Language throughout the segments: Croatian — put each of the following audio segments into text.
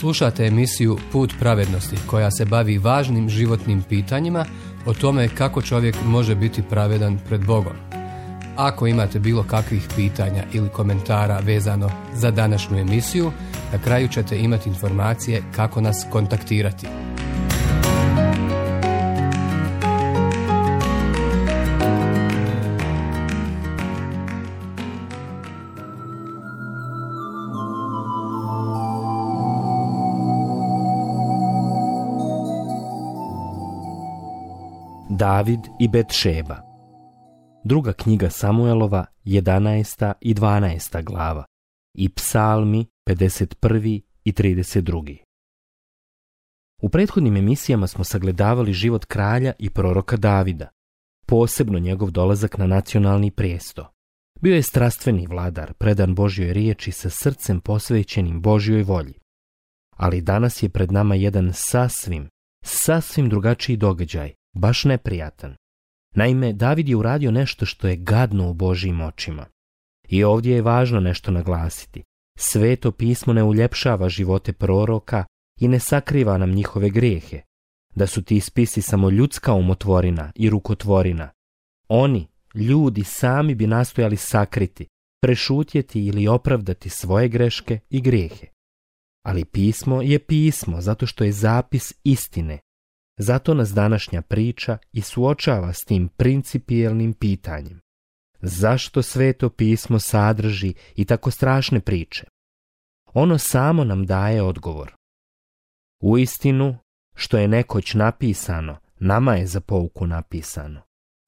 Slušate emisiju Put pravednosti koja se bavi važnim životnim pitanjima o tome kako čovjek može biti pravedan pred Bogom. Ako imate bilo kakvih pitanja ili komentara vezano za današnju emisiju, na kraju ćete imati informacije kako nas kontaktirati. David i Betšeba. Druga knjiga Samuelova, 11. i 12. glava i Psalmi 51. i 32. U prethodnim emisijama smo sagledavali život kralja i proroka Davida, posebno njegov dolazak na nacionalni prijesto. Bio je strastveni vladar, predan Božjoj riječi sa srcem posvećenim Božjoj volji. Ali danas je pred nama jedan sasvim drugačiji događaj, baš neprijatan. Naime, David je uradio nešto što je gadno u Božjim očima. I ovdje je važno nešto naglasiti. Sveto pismo ne uljepšava živote proroka i ne sakriva nam njihove grijehe. Da su ti spisi samo ljudska umotvorina i rukotvorina. Oni, ljudi, sami bi nastojali sakriti, prešutjeti ili opravdati svoje greške i grijehe. Ali pismo je pismo zato što je zapis istine. Zato nas današnja priča i suočava s tim principijelnim pitanjem. Zašto Sveto pismo sadrži i tako strašne priče? Ono samo nam daje odgovor. Uistinu, što je nekoć napisano, nama je za pouku napisano.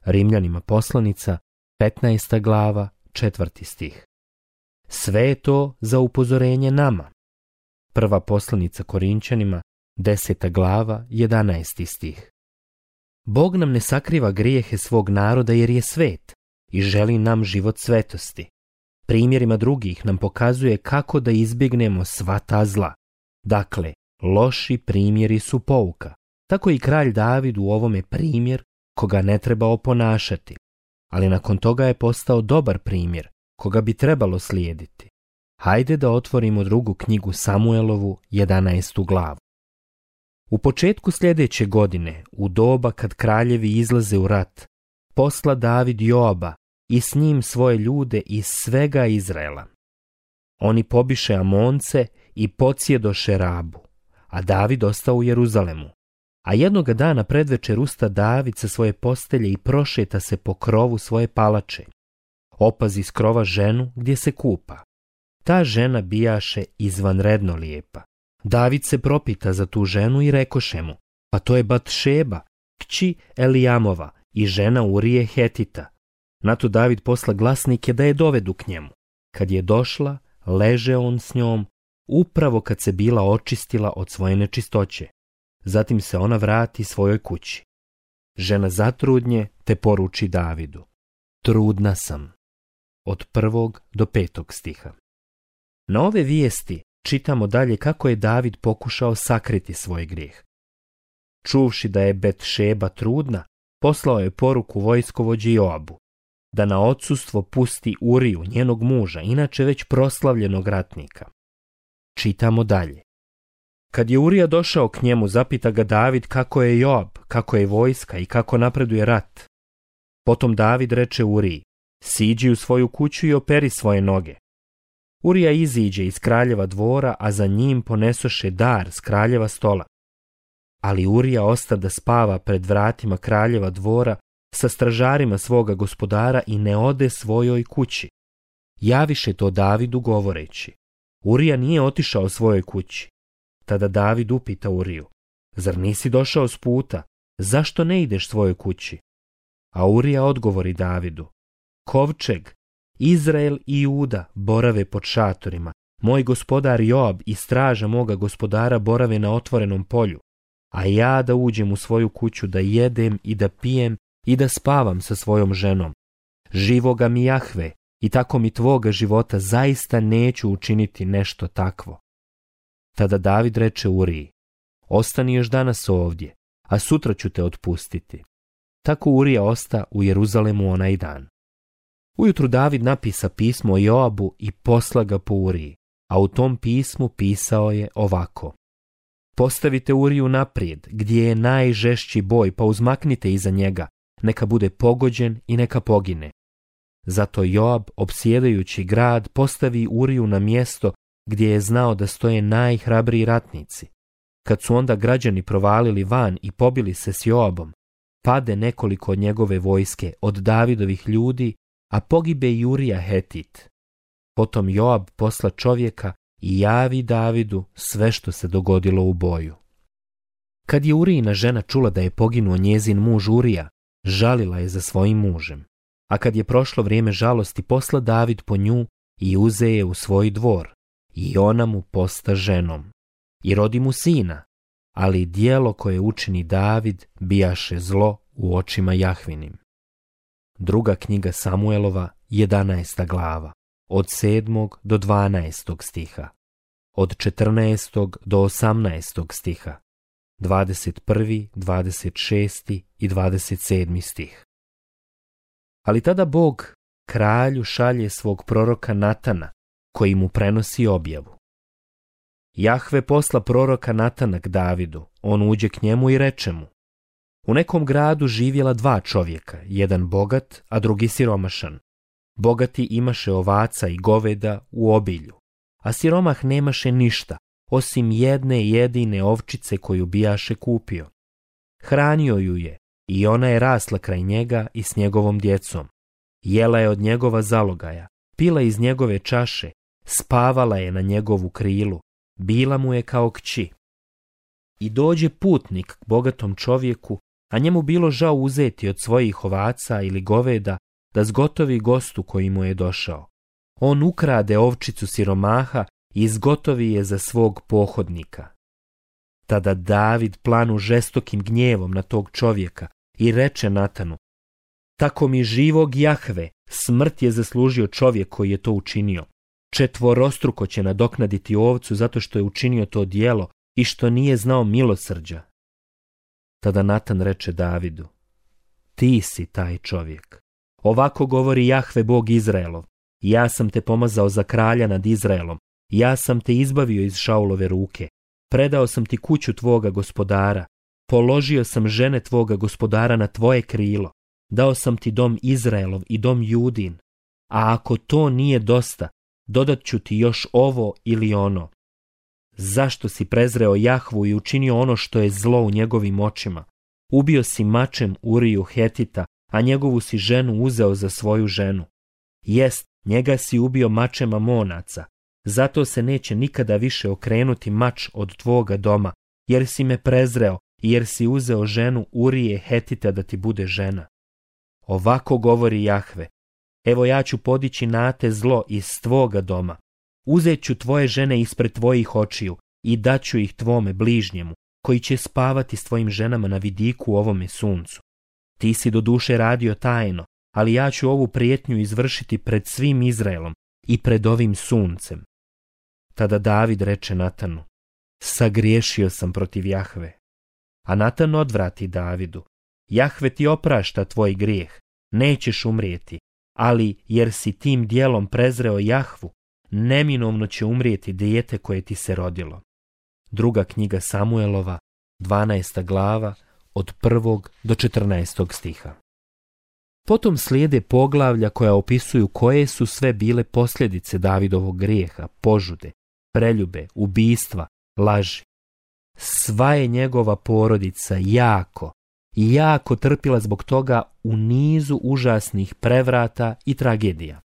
Rimljanima poslanica, 15. glava, 4. stih. Sve je to za upozorenje nama. Prva poslanica Korinćanima, 10. glava, 11. stih. Bog nam ne sakriva grijehe svog naroda jer je svet i želi nam život svetosti. Primjerima drugih nam pokazuje kako da izbjegnemo sva ta zla. Dakle, loši primjeri su pouka. Tako i kralj David u ovome primjer koga ne treba oponašati. Ali nakon toga je postao dobar primjer koga bi trebalo slijediti. Hajde da otvorimo drugu knjigu Samuelovu, 11. glavu. U početku sljedeće godine, u doba kad kraljevi izlaze u rat, posla David Joaba i s njim svoje ljude iz svega Izraela. Oni pobiše Amonce i podsjedoše Rabu, a David ostao u Jeruzalemu. A jednoga dana predvečer usta David sa svoje postelje i prošeta se po krovu svoje palače. Opazi s krova ženu gdje se kupa. Ta žena bijaše izvanredno lijepa. David se propita za tu ženu i rekoše mu, pa to je Batšeba, kći Elijamova i žena Urije Hetita. Na to David posla glasnike da je dovedu k njemu. Kad je došla, leže on s njom, upravo kad se bila očistila od svoje nečistoće. Zatim se ona vrati svojoj kući. Žena zatrudnje te poruči Davidu. Trudna sam. Od 1. do 5. stiha. Na ove vijesti čitamo dalje kako je David pokušao sakriti svoj grijeh. Čuvši da je Betšeba trudna, poslao je poruku vojskovođi Joabu, da na odsustvo pusti Uriju, njenog muža, inače već proslavljenog ratnika. Čitamo dalje. Kad je Urija došao k njemu, zapita ga David kako je Joab, kako je vojska i kako napreduje rat. Potom David reče Uriji, siđi u svoju kuću i operi svoje noge. Urija iziđe iz kraljeva dvora, a za njim ponesoše dar s kraljeva stola. Ali Urija osta da spava pred vratima kraljeva dvora sa stražarima svoga gospodara i ne ode svojoj kući. Javiše to Davidu govoreći. Urija nije otišao svojoj kući. Tada David upita Uriju, zar nisi došao s puta, zašto ne ideš svojoj kući? A Urija odgovori Davidu, kovčeg, Izrael i Juda borave pod šatorima, moj gospodar Joab i straža moga gospodara borave na otvorenom polju, a ja da uđem u svoju kuću da jedem i da pijem i da spavam sa svojom ženom. Živoga mi Jahve i tako mi tvoga života zaista neću učiniti nešto takvo. Tada David reče Uriji, ostani još danas ovdje, a sutra ću te otpustiti. Tako Urija osta u Jeruzalemu onaj dan. Ujutru David napisa pismo Joabu i posla ga po Uriji, a u tom pismu pisao je ovako. Postavite Uriju naprijed, gdje je najžešći boj, pa uzmaknite iza njega, neka bude pogođen i neka pogine. Zato Joab, opsjedajući grad, postavi Uriju na mjesto gdje je znao da stoje najhrabriji ratnici. Kad su onda građani provalili van i pobili se s Joabom, pade nekoliko od njegove vojske, od Davidovih ljudi, a pogibe i Urija Hetit. Potom Joab posla čovjeka i javi Davidu sve što se dogodilo u boju. Kad je Urijina žena čula da je poginuo njezin muž Urija, žalila je za svojim mužem. A kad je prošlo vrijeme žalosti, posla David po nju i uze je u svoj dvor, i ona mu posta ženom. I rodi mu sina, ali djelo koje učini David bijaše zlo u očima Jahvinim. Druga knjiga Samuelova, 11. glava, od 7. do 12. stiha, od 14. do 18. stiha, 21., 26. i 27. stih. Ali tada Bog kralju šalje svog proroka Natana, koji mu prenosi objavu. Jahve posla proroka Natana k Davidu, on uđe k njemu i reče mu: u nekom gradu živjela dva čovjeka, jedan bogat, a drugi siromašan. Bogati imaše ovaca i goveda u obilju, a siromah nemaše ništa, osim jedne jedine ovčice koju bijaše kupio. Hranio ju je i ona je rasla kraj njega i s njegovom djecom. Jela je od njegova zalogaja, pila iz njegove čaše, spavala je na njegovu krilu, bila mu je kao kći. I dođe putnik k bogatom čovjeku, a njemu bilo žao uzeti od svojih ovaca ili goveda da zgotovi gostu koji mu je došao. On ukrade ovčicu siromaha i izgotovi je za svog pohodnika. Tada David planu žestokim gnjevom na tog čovjeka i reče Natanu: tako mi živog Jahve, smrt je zaslužio čovjek koji je to učinio. Četvorostruko će nadoknaditi ovcu zato što je učinio to djelo i što nije znao milosrđa. Tada Natan reče Davidu: ti si taj čovjek. Ovako govori Jahve Bog Izraelov: ja sam te pomazao za kralja nad Izraelom, ja sam te izbavio iz Šaulove ruke, predao sam ti kuću tvoga gospodara, položio sam žene tvoga gospodara na tvoje krilo, dao sam ti dom Izraelov i dom Judin, a ako to nije dosta, dodat ću ti još ovo ili ono. Zašto si prezreo Jahvu i učinio ono što je zlo u njegovim očima? Ubio si mačem Uriju Hetita, a njegovu si ženu uzeo za svoju ženu. Jest, njega si ubio mačem Amonaca, zato se neće nikada više okrenuti mač od tvoga doma, jer si me prezreo i jer si uzeo ženu Urije Hetita da ti bude žena. Ovako govori Jahve: evo ja ću podići na te zlo iz tvoga doma. Uzet ću tvoje žene ispred tvojih očiju i daću ih tvome bližnjemu, koji će spavati s tvojim ženama na vidiku u ovome suncu. Ti si doduše radio tajno, ali ja ću ovu prijetnju izvršiti pred svim Izraelom i pred ovim suncem. Tada David reče Natanu: sagriješio sam protiv Jahve. A Natan odvrati Davidu: Jahve ti oprašta tvoj grijeh, nećeš umrijeti, ali jer si tim dijelom prezreo Jahvu, neminovno će umrijeti dijete koje ti se rodilo. Druga knjiga Samuelova, 12. glava, od 1. do 14. stiha. Potom slijede poglavlja koja opisuju koje su sve bile posljedice Davidovog grijeha, požude, preljube, ubistva, laži. Sva je njegova porodica jako trpila zbog toga u nizu užasnih prevrata i tragedija.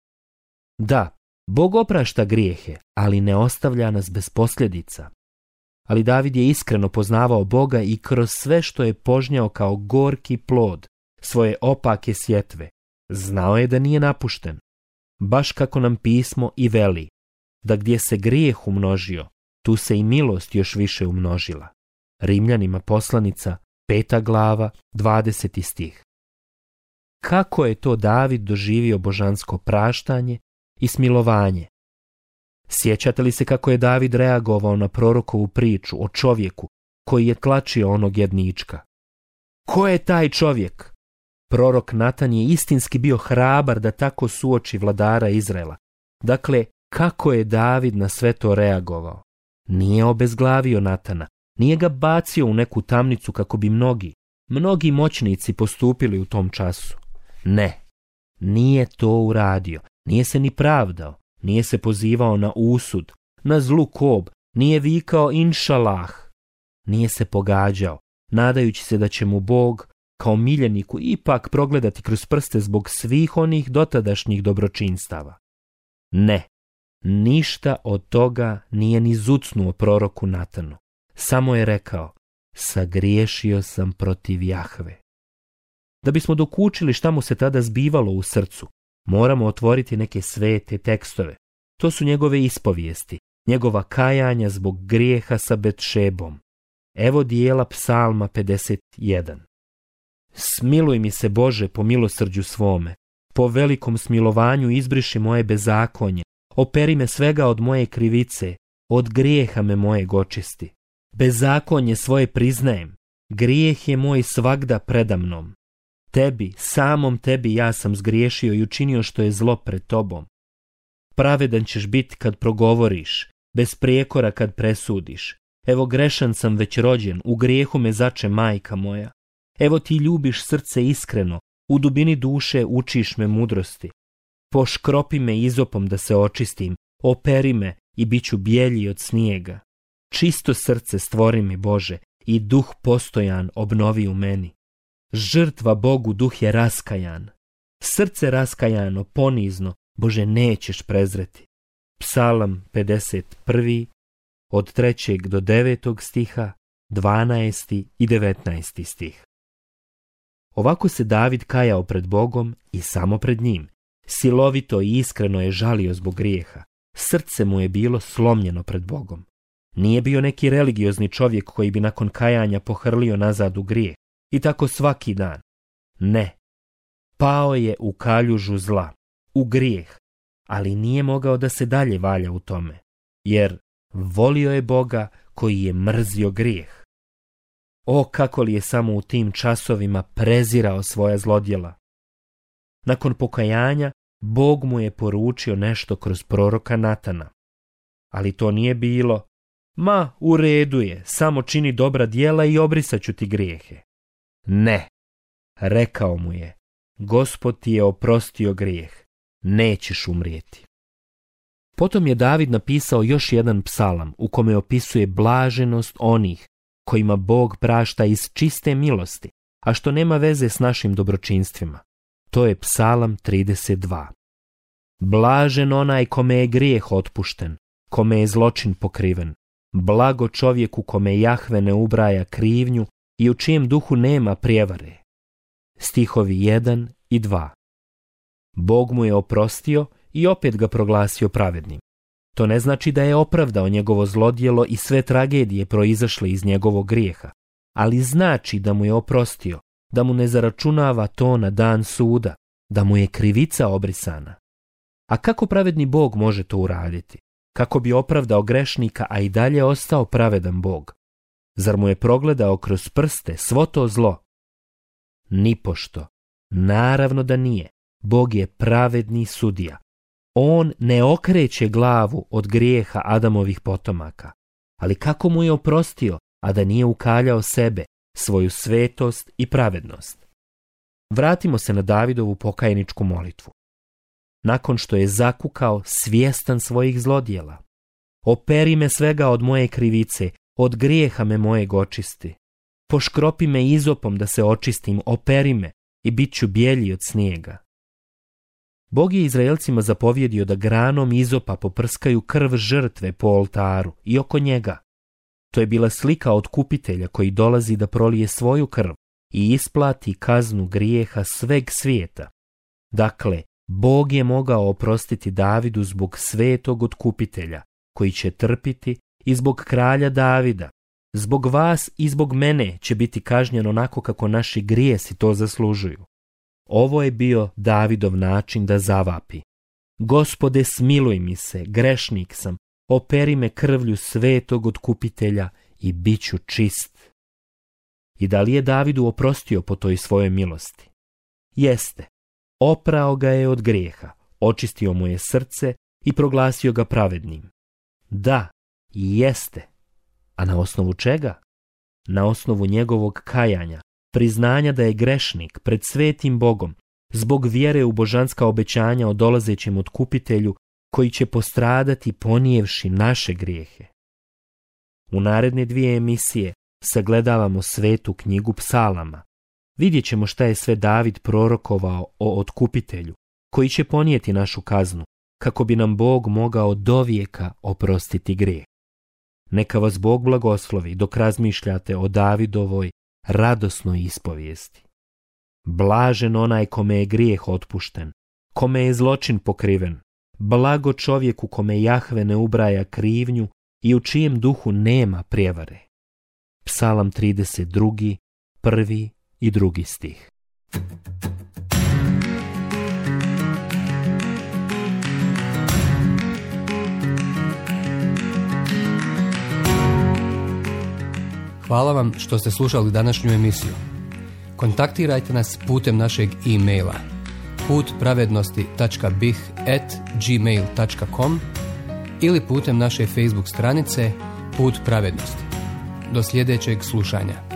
Da, Bog oprašta grijehe, ali ne ostavlja nas bez posljedica. Ali David je iskreno poznavao Boga i kroz sve što je požnjao kao gorki plod svoje opake sjetve, znao je da nije napušten. Baš kako nam pismo i veli, da gdje se grijeh umnožio, tu se i milost još više umnožila. Rimljanima poslanica, 5. glava, 20. stih. Kako je to David doživio božansko praštanje i smilovanje? Sjećate li se kako je David reagovao na prorokovu priču o čovjeku koji je tlačio onog jednička? Ko je taj čovjek? Prorok Natan je istinski bio hrabar da tako suoči vladara Izraela. Dakle, kako je David na sve to reagovao? Nije obezglavio Natana, Nije ga bacio u neku tamnicu kako bi mnogi moćnici postupili u tom času. Ne, nije to uradio, nije se ni pravdao, nije se pozivao na usud, na zlu kob, nije vikao inšalah, nije se pogađao, nadajući se da će mu Bog kao miljeniku ipak progledati kroz prste zbog svih onih dotadašnjih dobročinstava. Ne, ništa od toga nije ni zucnuo proroku Natanu. Samo je rekao, sagriješio sam protiv Jahve. Da bismo dokučili šta mu se tada zbivalo u srcu, moramo otvoriti neke svete tekstove. To su njegove ispovijesti, njegova kajanja zbog grijeha sa Betšebom. Evo dijela Psalma 51. Smiluj mi se, Bože, po milosrđu svome, po velikom smilovanju izbriši moje bezakonje, operi me svega od moje krivice, od grijeha me mojeg očisti. Bezakonje svoje priznajem, grijeh je moj svagda predamnom. Tebi, samom tebi ja sam zgriješio i učinio što je zlo pred tobom. Pravedan ćeš biti kad progovoriš, bez prijekora kad presudiš. Evo grešan sam već rođen, u grijehu me zače majka moja. Evo ti ljubiš srce iskreno, u dubini duše učiš me mudrosti. Poškropi me izopom da se očistim, operi me i bit ću bijelji od snijega. Čisto srce stvori mi, Bože, i duh postojan obnovi u meni. Žrtva Bogu duh je raskajan. Srce raskajano, ponizno, Bože, nećeš prezreti. Psalam 51. od 3. do 9. stiha, 12. i 19. stih. Ovako se David kajao pred Bogom i samo pred njim. Silovito i iskreno je žalio zbog grijeha. Srce mu je bilo slomljeno pred Bogom. Nije bio neki religiozni čovjek koji bi nakon kajanja pohrlio nazad u grijeh. I tako svaki dan. Ne. Pao je u kaljužu zla, u grijeh, ali nije mogao da se dalje valja u tome, jer volio je Boga koji je mrzio grijeh. O, kako li je samo u tim časovima prezirao svoja zlodjela. Nakon pokajanja, Bog mu je poručio nešto kroz proroka Natana. Ali to nije bilo, ma, u redu je, samo čini dobra djela i obrisat ću ti grijehe. Ne, rekao mu je, Gospod ti je oprostio grijeh, nećeš umrijeti. Potom je David napisao još jedan psalam u kome opisuje blaženost onih kojima Bog prašta iz čiste milosti, a što nema veze s našim dobročinstvima. To je psalam 32. Blažen onaj kome je grijeh otpušten, kome je zločin pokriven. Blago čovjeku kome Jahve ne ubraja krivnju i u čijem duhu nema prijevare. Stihovi 1 i 2. Bog mu je oprostio i opet ga proglasio pravednim. To ne znači da je opravdao njegovo zlodjelo i sve tragedije proizašle iz njegovog grijeha, ali znači da mu je oprostio, da mu ne zaračunava to na dan suda, da mu je krivica obrisana. A kako pravedni Bog može to uraditi? Kako bi opravdao grešnika, a i dalje ostao pravedan Bog? Zar mu je progledao kroz prste svo to zlo? Nipošto. Naravno da nije. Bog je pravedni sudija. On ne okreće glavu od grijeha Adamovih potomaka. Ali kako mu je oprostio, a da nije ukaljao sebe, svoju svetost i pravednost? Vratimo se na Davidovu pokajničku molitvu. Nakon što je zakukao svjestan svojih zlodjela. Operi me svega od moje krivice, od grijeha me mojeg očisti. Poškropi me izopom da se očistim, operi me i bit ću bijelji od snijega. Bog je Izraelcima zapovjedio da granom izopa poprskaju krv žrtve po oltaru i oko njega. To je bila slika otkupitelja koji dolazi da prolije svoju krv i isplati kaznu grijeha sveg svijeta. Dakle, Bog je mogao oprostiti Davidu zbog svetog otkupitelja, koji će trpiti, i zbog kralja Davida. Zbog vas i zbog mene će biti kažnjen onako kako naši grijesi to zaslužuju. Ovo je bio Davidov način da zavapi. Gospode, smiluj mi se, grešnik sam, operi me krvlju svetog otkupitelja i bit ću čist. I da li je Davidu oprostio po toj svojoj milosti? Jeste. Oprao ga je od grijeha, očistio mu je srce i proglasio ga pravednim. Da, jeste. A na osnovu čega? na osnovu njegovog kajanja, priznanja da je grešnik pred svetim Bogom, zbog vjere u božanska obećanja o dolazećem otkupitelju koji će postradati ponijevši naše grijehe. U naredne 2 emisije sagledavamo svetu knjigu Psalama. Vidjet ćemo šta je sve David prorokovao o otkupitelju, koji će ponijeti našu kaznu, kako bi nam Bog mogao dovijeka oprostiti grijeh. Neka vas Bog blagoslovi dok razmišljate o Davidovoj radosnoj ispovijesti. Blažen onaj kome je grijeh otpušten, kome je zločin pokriven, blago čovjeku kome Jahve ne ubraja krivnju i u čijem duhu nema prijevare. Psalam 32, 1. i 2. stih. Hvala vam što ste slušali današnju emisiju. Kontaktirajte nas putem našeg e-maila putpravednosti.bih@gmail.com ili putem naše Facebook stranice Put pravednosti. Do sljedećeg slušanja.